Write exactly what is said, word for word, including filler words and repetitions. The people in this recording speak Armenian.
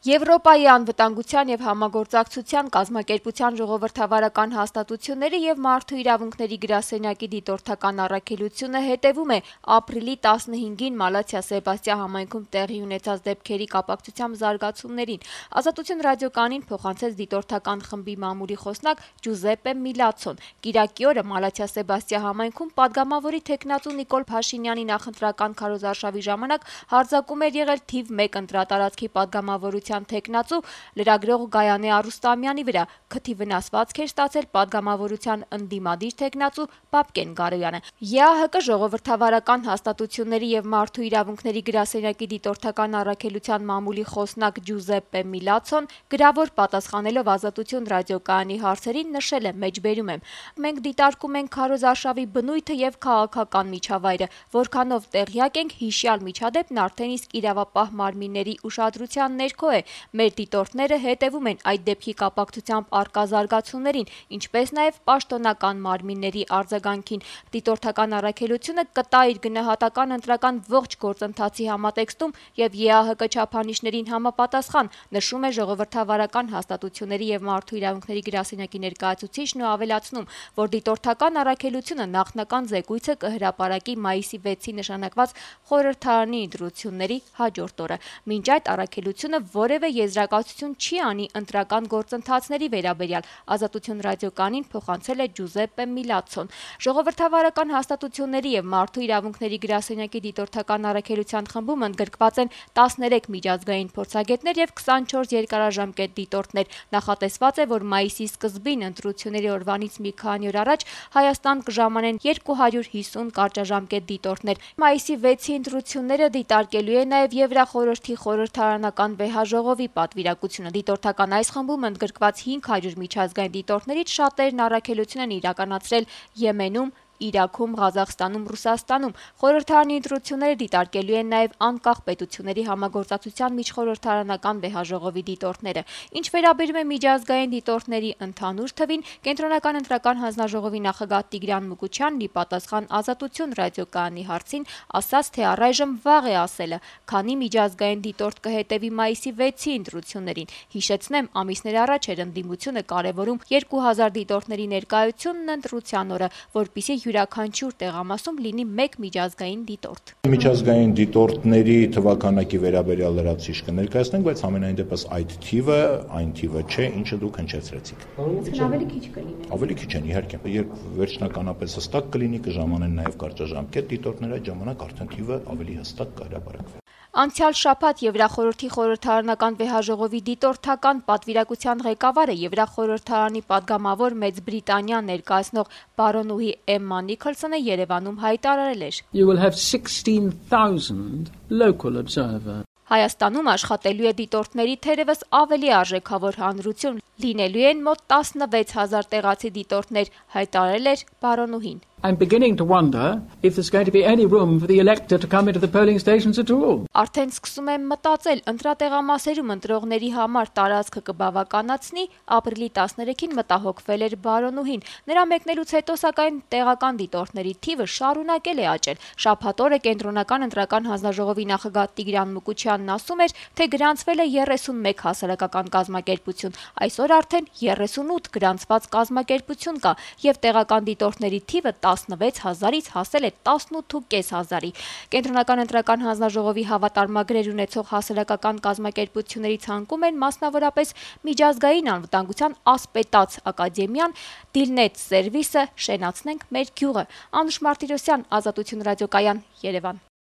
Եվրոպայի անվտանգության և համագործակցության կազմակերպության ժողովրդավարական հաստատությունների և մարդու իրավունքների գրասենյակի դիտորդական առաքելությունը հետևում է ապրիլի տասնհինգին Մալաթիա Սեբաստիա համայնքում տեղի ունեցած դեպքերի կապակցությամբ զարգացումներին։ Ազատություն ռադիոկայանին փոխանցեց դիտորդական խմբի մամուլի խոսնակ Ջուզեպպե Միլացոն։ Կիրակի օրը Մալաթիա Սեբաստիա համայնքում պատգամավորի թեկնածու Նիկոլ Փաշինյանի նախընտրական քարոզարշավի ժամանակ հարձակում էր եղել թիվ մեկ ընտրատարածքի պատգամավորության թեկնածու լրագրող Գայանե Արուստամյանի վրա, քթի վնասվածք էր ստացել պատգամավորության ընդդիմադիր թեկնածու Պապկեն Գարոյանը։ ԵԱՀԿ ժողովրդավարական հաստատությունների և մարդու իրավունքների գրասենյակի դիտորդական առաքելության մամուլի խոսնակ Ջուզեպպե Միլացոն գրավոր պատասխանելով Ազատություն ռադիոկայանի հարցերին նշել է. «Մեջբերում եմ. մենք դիտարկում ենք քարոզարշավի բնույթը և քաղաքական միջավայրը, որքանով տեղյակ ենք, հիշյալ միջադեպն արդեն իսկ իրավապահ մարմինների ուշադրության ներքո է։ Մեր դիտորդները հետևում են այդ դեպքի կապակցությամբ առկա զարգացումներին, ինչպես նաև պաշտոնական մարմինների արձագանքին։ Դիտորդական առաքելությունը կտա իր գնահատական ընտրական ողջ գործընթացի համատեքստում և ԵԱՀԿ չափանիշներին համապատասխան», նշում է ժողովրդավարական հաստատությունների և մարդու իրավունքների գրասենյակի ներկայացուցիչն ու ավելացնում, որ դիտորդական առաքելությունը նախնական զեկույցը կհրապարակի մայիսի վեցին նշանակված խորհրդարանի ընտրությունների հաջորդ օրը։ Մինչ այդ առաքելությունը որևէ եզրակացություն չի անի ընտրական գործընթացների վերաբերյալ, Ազատություն ռադիոկայանին փոխանցել է Ջուզեպպե Միլացոն։ Ժողովրդավարական հաստատությունների և մարդու իրավունքների գրասենյակի դիտորդական առաքելության խմբում ընդգրկված են տասներեք միջազգային փորձագետներ և քսանչորս երկարաժամկետ դիտորդներ։ Նախատեսված է, որ մայիսի սկզբին ընտրությունների օրվանից մի քանի օր առաջ Հայաստան կժամանեն երկու հարյուր հիսուն կարճաժամկետ դիտորդներ։ Մայիսի վեցի ընտրությունները դիտարկելու է նաև Եվրախորհրդի խորհրդարանական վեհաժողովի պատվիրակությունը։ Դիտորդական այս խմբում ընդգրկված հինգ հարյուր միջազգային դիտորդներից շատերն առաքելություն են իրականացրել Եմենում, Իրաքում, Ղազախստանում, Ռուսաստանում։ Խորհրդարանի ընտրությունները դիտարկելու են նաև անկախ պետությունների համագործակցության միջխորհրդարանական վեհաժողովի դիտորդները։ Ինչ վերաբերում է միջազգային դիտորդների ընդհանուր թվին, Կենտրոնական ընտրական հանձնաժողովի նախագահ Տիգրան Մուկուչյանն ի պատասխան Ազատություն ռադիոկայանի հարցին ասաց, թե առայժմ վաղ է ասելը, քանի միջազգային դիտորդ կհետևի մայիսի վեցի ընտրություններին։ Հիշեցնեմ, ամիսներ առաջ էր ընդդիմությունը կարևորում երկու հազար դիտորդների ներկայությունն ընտրության օրը, որպեսզի յուրաքանչյուր տեղամասում լինի մեկ միջազգային դիտորդ։ Միջազգային դիտորդների թվաքանակի վերաբերյալ լրացուցիչ կներկայացնենք, բայց համենայն դեպս այդ թիվը այն թիվը չէ, ինչը դուք հնչեցրեցիք։ Ավելի քիչ կլինի։ Ավելի քիչ են, իհարկե։ Երբ վերջնականապես հստակ կլինի, կժամանեն նաև կարճաժամկետ դիտորդներ, այդ ժամանակ արդեն թիվը ավելի հստակ կհրապարակվի։ Անցյալ շաբաթ Եվրախորհրդի խորհրդարանական վեհաժողովի դիտորդական պատվիրակության ղեկավարը Եվրախորհրդարանի պատգամավոր Մեծ Բրիտանիան ներկայացնող բարոնուհի Էմմա Նիքոլսոնը Երևանում հայտարարել էր. You will have sixteen thousand local observers. Հայաստանում աշխատելու է դիտորդների թերևս ավելի արժեքավոր հանրություն, լինելու են մոտ տասնվեց հազար տեղացի դիտորդներ, հայտարարել էր բարոնուհին։ I'm beginning to wonder if there's going to be any room for the elector to come into the polling stations at all. Արդեն սկսում եմ մտածել, ընտրատեղամասերում ընտրողների համար տարածքը կբավականացնի, ապրիլի տասներեքին մտահոգվել էր բարոնուհին։ Նրա մեկնելուց հետո սակայն տեղական դիտորդների թիվը շարունակել է աճել։ Շաբաթ օրը Կենտրոնական ընտրական հանձնաժողովի նախագահ Տիգրան Մուկուչյանն ասում էր, թե գրանցվել է երեսունմեկ հասարակական կազմակերպություն։ Այսօր արդեն երեսունութ գրանցված կազմակերպություն կա և տեղական դիտորդների թիվը տասնվեց հազարից հասել է տասնութ հազարի։ Կենտրոնական ընտրական հանձնաժողովի հավատարմագրեր ունեցող հասարակական կազմակերպությունների ցանկում են մասնավորապես միջազգային անվտանգության ասպետաց ակադեմիան, Դիլնետ սերվիսը, Շենացնենք մեր գյուղը։ Անուշ Մարտիրոսյան, Ազատություն ռադիոկայան, Երևան։